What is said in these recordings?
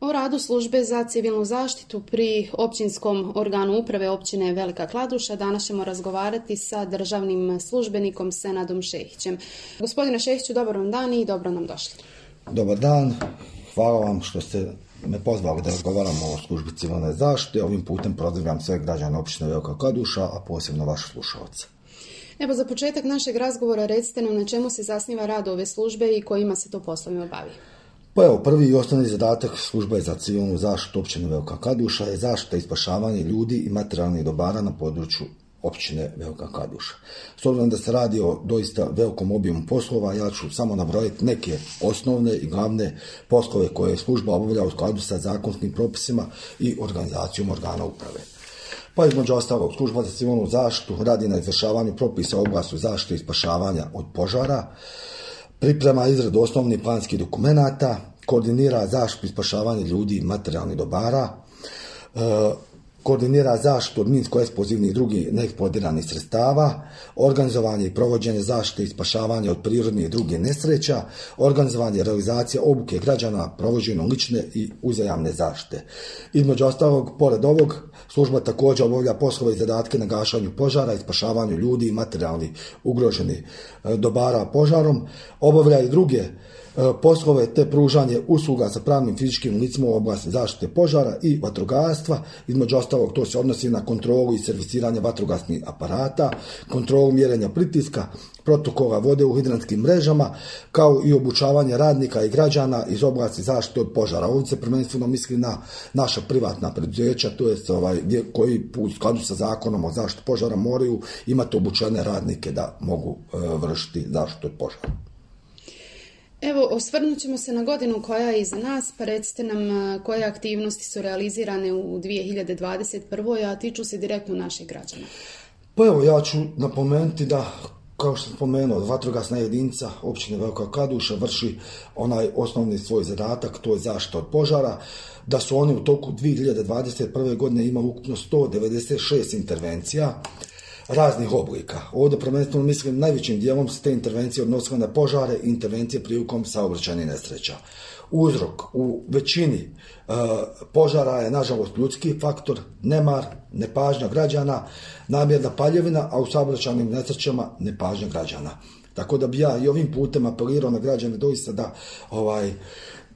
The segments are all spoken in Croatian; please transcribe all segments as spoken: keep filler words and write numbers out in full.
O radu službe za civilnu zaštitu pri općinskom organu uprave općine Velika Kladuša danas ćemo razgovarati sa državnim službenikom Senadom Šehićem. Gospodine Šehiću, dobar vam dan i dobro nam došli. Dobar dan, hvala vam što ste me pozvali da razgovaramo o službi civilne zaštite. Ovim putem pozdravljam sve građane općine Velika Kladuša, a posebno vaše slušalce. Evo, za početak našeg razgovora recite nam na čemu se zasniva rad ove službe i kojima se to poslovima bavi. Pa evo, prvi i osnovni zadatak službe za civilnu zaštitu općine Velika Kladuša je zaštita i spašavanje ljudi i materijalnih dobara na području općine Velika Kladuša. S obzirom da se radi o doista velikom obimu poslova, ja ću samo nabrojiti neke osnovne i glavne poslove koje služba obavlja u skladu sa zakonskim propisima i organizacijom organa uprave. Pa između ostalog, služba za civilnu zaštitu radi na izvršavanju propisa u oblasti zaštite i spašavanja od požara, priprema izradu osnovnih planskih dokumenata, koordinira zaštitu i spašavanje ljudi i materijalnih dobara, e, koordinira zaštitu od minsko-eksplozivnih i drugih neeksplodiranih sredstava, organizovanje i provođenje zaštite i spašavanja od prirodnih i drugih nesreća, organizovanje i realizacija obuke građana, provođenje lične i uzajamne zaštite. Između ostalog, pored ovog, služba također obavlja poslove i zadatke na gašenju požara i spašavanju ljudi i materijalnih ugroženih dobara požarom, obavlja i druge poslove te pružanje usluga sa pravnim fizičkim licima u oblasti zaštite požara i vatrogastva. Između ostalog, to se odnosi na kontrolu i servisiranje vatrogasnih aparata, kontrolu mjerenja pritiska, protokola vode u hidrantskim mrežama, kao i obučavanje radnika i građana iz oblasti zaštite od požara. Ovdje se prvenstveno misli na naša privatna preduzeća, to je ovaj, koji u skladu sa zakonom o zaštiti požara moraju imati obučene radnike da mogu e, vršiti zaštitu od požara. Evo, osvrnut ćemo se na godinu koja je iza nas, pa recite nam koje aktivnosti su realizirane u dvije hiljade dvadeset prvoj. a tiču se direktno naših građana. Pa evo, ja ću napomenuti da, kao što sam spomenuo, vatrogasna jedinica općine Velika Kladuša vrši onaj osnovni svoj zadatak, to je zaštita od požara, da su oni u toku dvije hiljade dvadeset prve godine imali ukupno sto devedeset šest intervencija raznih oblika. Ovdje prvenstveno mislim najvećim dijelom se te intervencije odnosile na požare i intervencije prilikom saobraćajnih nesreća. Uzrok u većini e, požara je nažalost ljudski faktor, nemar, nepažnja građana, namjerna paljevina, a u saobraćajnim nesrećama nepažnja građana. Tako da bi ja i ovim putem apelirao na građane doista da ovaj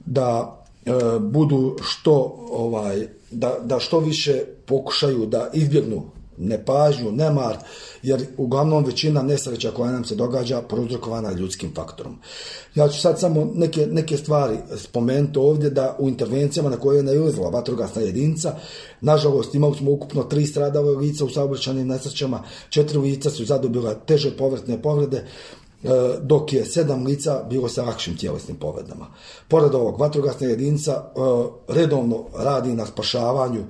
da e, budu što ovaj da, da što više pokušaju da izbjegnu nepažnju, nemar, jer uglavnom većina nesreća koja nam se događa prouzrokovana je ljudskim faktorom. Ja ću sad samo neke, neke stvari spomenuti ovdje, da u intervencijama na koje je nailazila vatrogasna jedinica, nažalost imali smo ukupno tri stradala lica u saobraćajnim nesrećama, četiri lica su zadobila teže povrtne povrede, dok je sedam lica bilo sa lakšim tjelesnim povredama. Pored ovog, vatrogasna jedinica redovno radi na spašavanju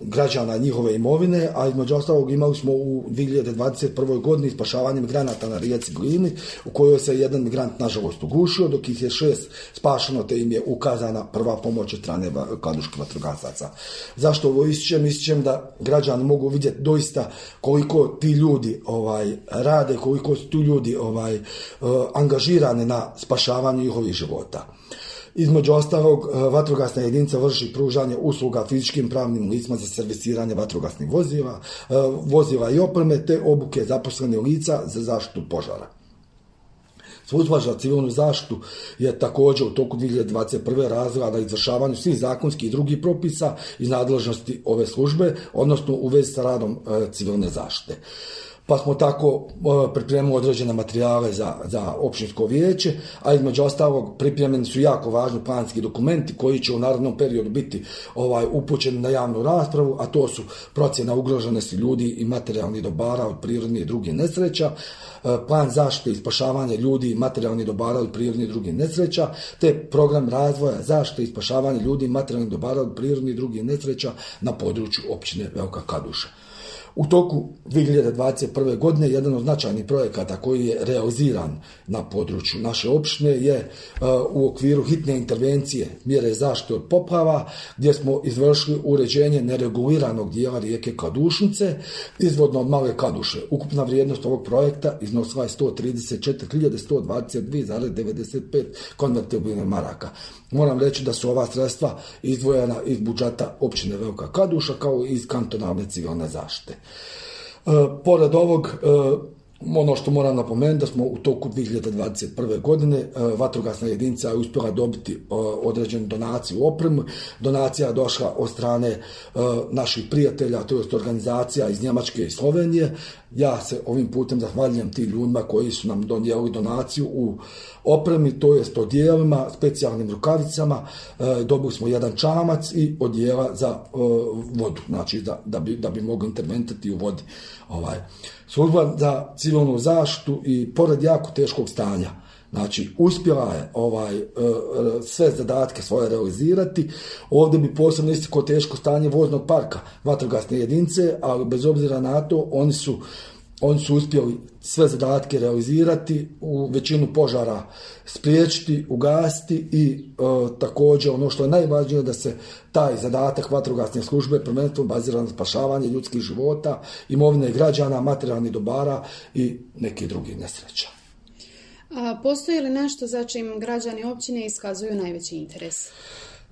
građana i njihove imovine, a između ostalog imali smo u dvije hiljade dvadeset prvoj godini spašavanje migranata na rijeci Glini, u kojoj se jedan migrant nažalost ugušio, dok ih je šest spašeno, te im je ukazana prva pomoć od strane kladuških vatrogasaca. Zašto ovo ističem? Ističem da građani mogu vidjeti doista koliko ti ljudi ovaj rade, koliko su tu ljudi ovaj angažirani na spašavanju njihovih života. Između ostalog, vatrogasna jedinica vrši pružanje usluga fizičkim pravnim licima za servisiranje vatrogasnih vozila, vozila i opreme, te obuke zaposlenih lica za zaštitu požara. Služba za civilnu zaštitu je također u toku dvije hiljade dvadeset prve razvila na izvršavanju svih zakonskih i drugih propisa iz nadležnosti ove službe, odnosno u vezi sa radom civilne zaštite. Pa smo tako pripremili određene materijale za, za općinsko vijeće, a između ostalog pripremljeni su jako važni planski dokumenti koji će u narednom periodu biti ovaj, upućeni na javnu raspravu, a to su procjena ugroženosti ljudi i materijalnih dobara od prirodnih i drugih nesreća, plan zaštite i spašavanja ljudi i materijalnih dobara od prirodnih i drugih nesreća, te program razvoja zaštite i spašavanja ljudi i materijalnih dobara od prirodnih i drugih nesreća na području općine Velika Kladuša. U toku dvije hiljade dvadeset prve. godine jedan od značajnih projekata koji je realiziran na području naše opštine je uh, u okviru hitne intervencije mjere zaštite od poplava, gdje smo izvršili uređenje nereguliranog dijela rijeke Kladušnice izvodno od Male Kladuše. Ukupna vrijednost ovog projekta iznosila je sto trideset četiri hiljade sto dvadeset dvije zarez devedeset pet konvertibilnih maraka. Moram reći da su ova sredstva izdvojena iz budžeta općine Velika Kladuša kao i iz kantonalne civilne zaštite. E, pored ovog, e, ono što moram napomenuti, da smo u toku dvije hiljade dvadeset prve. godine e, vatrogasna jedinica je uspjela dobiti e, određenu donaciju u opremu. Donacija je došla od strane e, naših prijatelja, to jest organizacija iz Njemačke i Slovenije. Ja se ovim putem zahvaljujem tim ljudima koji su nam donijeli donaciju u opremi, to jest odijelima, specijalnim rukavicama. E, dobili smo jedan čamac i odijela za e, vodu, znači da, da, bi, da bi mogli interventirati u vodi. Ovaj. Služba za civilnu zaštitu i pored jako teškog stanja, znači uspjela je ovaj, sve zadatke svoje realizirati. Ovdje bi posebno istakao teško stanje voznog parka vatrogasne jedinice, ali bez obzira na to oni su Oni su uspjeli sve zadatke realizirati, u većinu požara spriječiti, ugasiti i e, također ono što je najvažnije da se taj zadatak vatrogasne službe prvenstveno bazira na spašavanje ljudskih života, imovine građana, materijalnih dobara i neki drugi nesreća. A postoji li nešto za čim građani općine iskazuju najveći interes?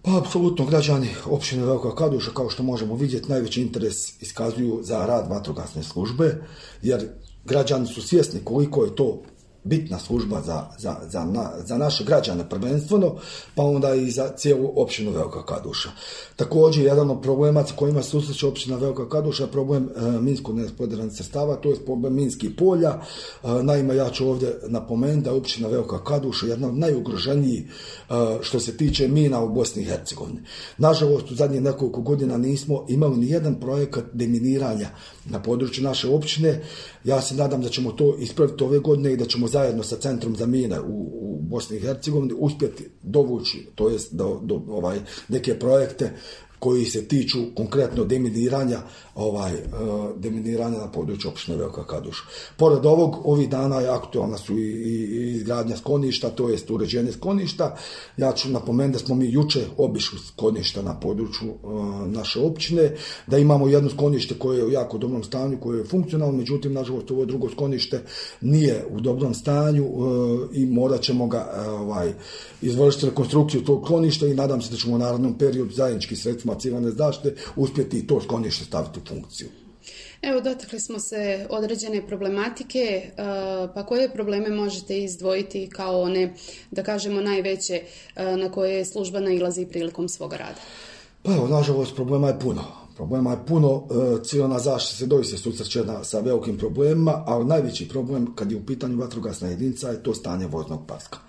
Pa, apsolutno, građani općine Velika Kladuša, kao što možemo vidjeti, najveći interes iskazuju za rad vatrogasne službe, jer građani su svjesni koliko je to bitna služba za, za, za, na, za naše građane prvenstveno, pa onda i za cijelu općinu Velika Kladuša. Također, jedan od problema sa kojima se susreće općina Velika Kladuša je problem e, minsko neeksplodiranih sredstava, to je problem minskih polja. E, naime, ja ću ovdje napomenuti da je općina Velika Kladuša jedna od najugroženijih e, što se tiče mina u Bosni i Hercegovini. Nažalost, u zadnjih nekoliko godina nismo imali ni jedan projekat deminiranja na području naše općine. Ja se nadam da ćemo to ispraviti ove godine i da ćemo zajedno sa Centrom za mine u, u Bosni i Hercegovini uspjeti dovući, to jest do, do ovaj, neke projekte koji se tiču konkretno deminiranja, ovaj, deminiranja na području općine Velika Kladuša. Pored ovog, ovih dana je aktualna su i, i, i izgradnja skloništa, to jest uređenje skloništa. Ja ću napomenuti da smo mi jučer obišli skloništa na području uh, naše općine, da imamo jedno sklonište koje je u jako dobrom stanju, koje je funkcionalno, međutim, nažalost, ovo drugo sklonište nije u dobrom stanju uh, i morat ćemo ga uh, ovaj, izvršiti rekonstrukciju tog skloništa i nadam se da ćemo u narednom periodu zajednički sredstvima civilne zaštite uspjeti i to sklonište staviti u funkciju. Evo, dotakli smo se određene problematike, pa koje probleme možete izdvojiti kao one, da kažemo, najveće na koje služba nailazi prilikom svoga rada? Pa evo, nažalost, problema je puno. Problema je puno, civilna zaštita se doista susreće sa velikim problemima, ali najveći problem kad je u pitanju vatrogasna jedinica je to stanje voznog parka,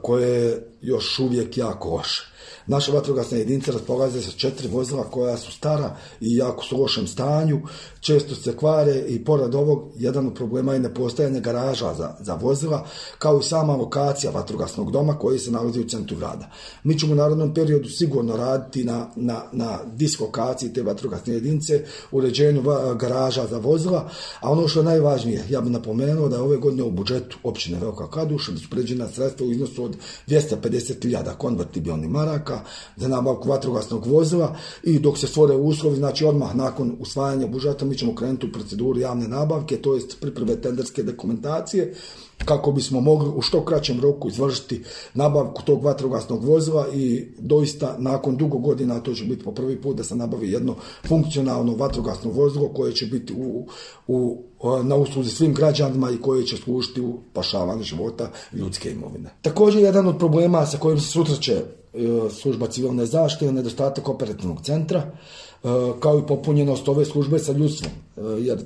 koje je još uvijek jako loše. Naša vatrogasna jedinica raspolaže sa četiri vozila koja su stara i jako su u lošem stanju, često se kvare i pored ovog jedan od problema je nepostojanje garaža za, za vozila, kao i sama lokacija vatrogasnog doma koji se nalazi u centru grada. Mi ćemo u narednom periodu sigurno raditi na, na, na dislokaciji te vatrogasne jedinice, uređenju garaža za vozila, a ono što je najvažnije, ja bih napomenuo da je ove godine u budžetu općine Velika Kladuša da su predviđena sredstva u iznosu od dvjesto pedeset hiljada konvertibilnih maraka za nabavku vatrogasnog vozila i dok se stvore uslovi, znači odmah nakon usvajanja budžeta mi ćemo krenuti u proceduru javne nabavke, to jest pripreme tenderske dokumentacije, kako bismo mogli u što kraćem roku izvršiti nabavku tog vatrogasnog vozila i doista nakon dugo godina, to će biti po prvi put da se nabavi jedno funkcionalno vatrogasno vozilo koje će biti u, u, na usluzi svim građanima i koje će služiti u spašavanju života ljudske imovine. Također, jedan od problema sa kojim se susreće služba civilne zaštite je nedostatak operativnog centra, kao i popunjenost ove službe sa ljudstvom, jer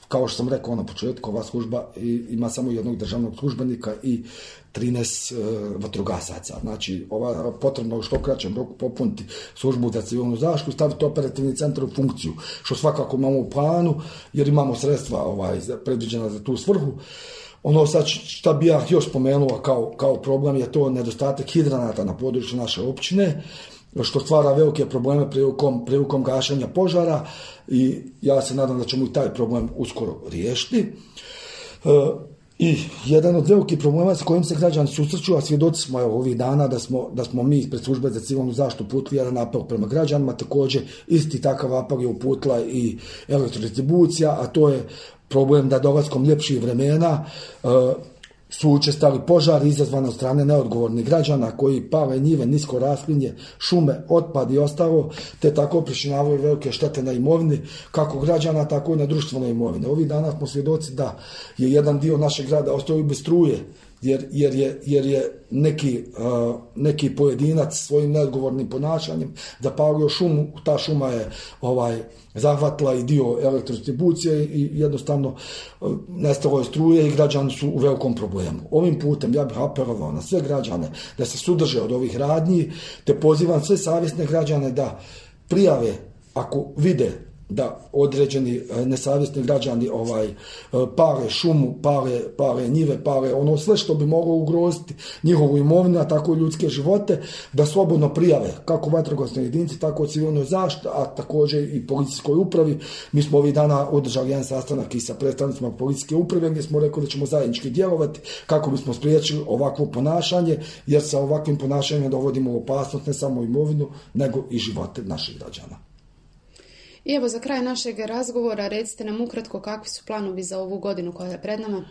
kao što sam rekao na početku, ova služba ima samo jednog državnog službenika i trinaest vatrogasaca. Znači, ova potrebno u što kraćem roku popuniti službu za civilnu zaštitu, staviti operativni centar u funkciju, što svakako imamo u planu, jer imamo sredstva ovaj, predviđena za tu svrhu. Ono sad šta bi ja još spomenuo kao, kao problem je to nedostatak hidranata na području naše općine. što stvara velike probleme prilikom, prilikom gašenja požara i ja se nadam da ćemo i taj problem uskoro riješiti. E, I jedan od velikih problema sa kojim se građani susreću, a svjedoci smo evo, ovih dana da smo, da smo mi ispred službe za civilnu zaštitu uputili jedan apel prema građanima, također isti takav apel je uputila i elektrodistribucija, a to je problem da dolaskom ljepših vremena e, su učestali požari izazvani od strane neodgovornih građana koji pale njive, nisko raslinje, šume, otpad i ostalo, te tako pričinjavaju velike štete na imovini, kako građana, tako i na društvenoj imovini. Ovih dana smo svjedoci da je jedan dio našeg grada ostao i bez struje, jer, jer, je, jer je neki, uh, neki pojedinac svojim neodgovornim ponašanjem zapalio šumu, ta šuma je ovaj, zahvatila i dio elektrodistribucije i jednostavno uh, nestalo je struje i građani su u velikom problemu. Ovim putem ja bih apelovao na sve građane da se suzdrže od ovih radnji, te pozivam sve savjesne građane da prijave ako vide da određeni nesavjesni građani ovaj pale šumu, pale, pale njive, pale ono sve što bi moglo ugroziti njihovu imovinu, a tako i ljudske živote, da slobodno prijave kako vatrogasnoj jedinici, tako i civilnoj zaštiti, a također i policijskoj upravi. Mi smo ovih dana održali jedan sastanak i sa predstavnicima policijske uprave gdje smo rekli da ćemo zajednički djelovati kako bismo spriječili ovakvo ponašanje, jer sa ovakvim ponašanjem dovodimo u opasnost ne samo imovinu, nego i živote naših građana. I evo za kraj našeg razgovora recite nam ukratko kakvi su planovi za ovu godinu koja je pred nama?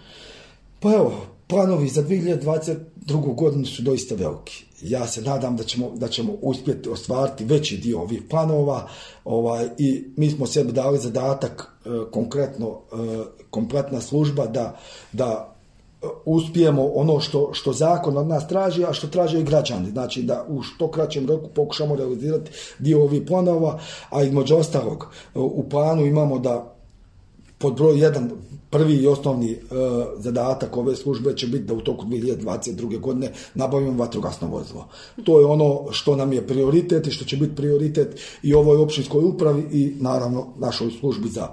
Pa evo, planovi za dvije hiljade dvadeset drugu godinu su doista veliki. Ja se nadam da ćemo, da ćemo uspjeti ostvariti veći dio ovih planova ovaj, i mi smo sebi dali zadatak e, konkretno, e, kompletna služba da, da uspijemo ono što, što zakon od nas traži, a što traže i građani. Znači da u što kraćem roku pokušamo realizirati dio ovih planova, a između ostalog u planu imamo da pod broj jedan, prvi i osnovni e, zadatak ove službe će biti da u toku dvije hiljade dvadeset druge godine nabavimo vatrogasno vozilo. To je ono što nam je prioritet i što će biti prioritet i ovoj općinskoj upravi i naravno našoj službi za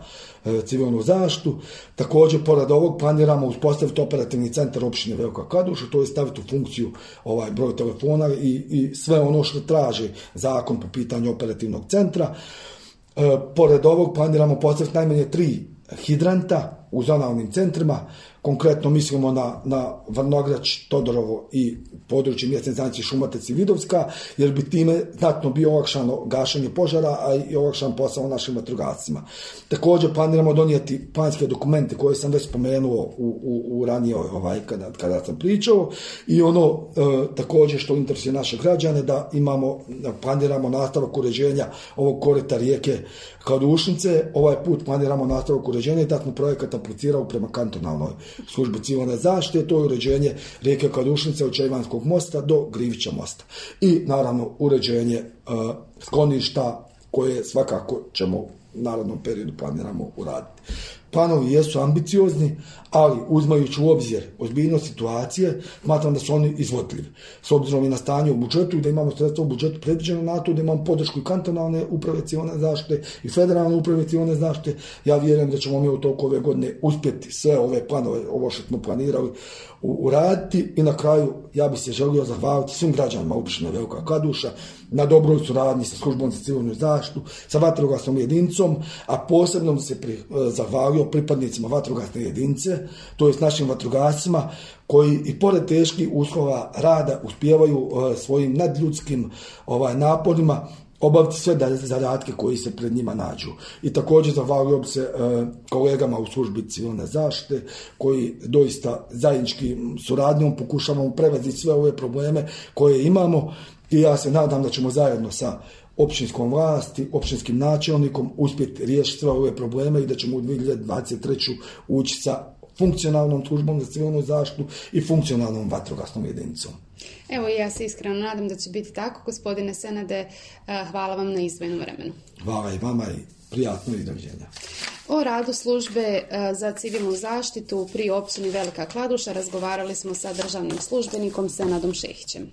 e, civilnu zaštitu. Također, pored ovog planiramo uspostaviti operativni centar općine Velika Kladuša, to je staviti u funkciju ovaj broj telefona i, i sve ono što traži zakon po pitanju operativnog centra. E, pored ovog planiramo postaviti najmanje tri hidranta u zonalnim centrima, konkretno mislimo na, na Vrnograč, Todorovo i područje mjesne zajednice Šumatec i Vidovska, jer bi time znatno bio olakšano gašenje požara, a i olakšan posao našim vatrogascima. Također planiramo donijeti planske dokumente koje sam već spomenuo u, u, u ranije ovaj, kada, kada sam pričao i ono e, također što interesuje naše građane da imamo, planiramo nastavak uređenja ovog korita rijeke Kladušnice. Ovaj put planiramo nastavak uređenja i da smo projekat aplicirao prema kantonalnoj službi civilne zaštite, to je uređenje rijeke Kladušnice od Čejvanskog mosta do Grivića mosta. I naravno uređenje uh, skloništa koje svakako ćemo u narednom periodu planiramo uraditi. Planovi jesu ambiciozni, ali uzmajući u obzir ozbiljnost situacije, smatram da su oni izvodljivi. S obzirom i na stanje u budžetu i da imamo sredstva u budžetu predviđeno na to, da imamo podršku i kantonalne uprave civilne zaštite i federalne uprave civilne zaštite, ja vjerujem da ćemo mi u toku ove godine uspjeti sve ove planove, ovo što smo planirali, uraditi. I na kraju ja bih se želio zahvaliti svim građanima općine Velika Kladuša na dobroj suradnji sa službom za civilnu zaštitu, sa vatrogasnom jedinicom, a posebno bi se pri, zahvalio pripadnicima vatrogasne jedinice, to je s našim vatrogascima koji i pored teških uslova rada uspijevaju uh, svojim nadljudskim ovaj, naporima obaviti sve zadatke koji se pred njima nađu. I također zahvalio bi se e, kolegama u službi civilne zaštite koji doista zajedničkim suradnjom pokušavamo prevaziti sve ove probleme koje imamo i ja se nadam da ćemo zajedno sa općinskom vlasti, općinskim načelnikom uspjeti riješiti sve ove probleme i da ćemo u dvije hiljade dvadeset treću ući sa funkcionalnom službom za civilnu zaštitu i funkcionalnom vatrogasnom jedinicom. Evo ja se iskreno nadam da će biti tako. Gospodine Senade, hvala vam na izdvojenom vremenu. Hvala i vama i prijatno i doviđenja. O radu službe za civilnu zaštitu pri općini Velika Kladuša razgovarali smo sa državnim službenikom Senadom Šehićem.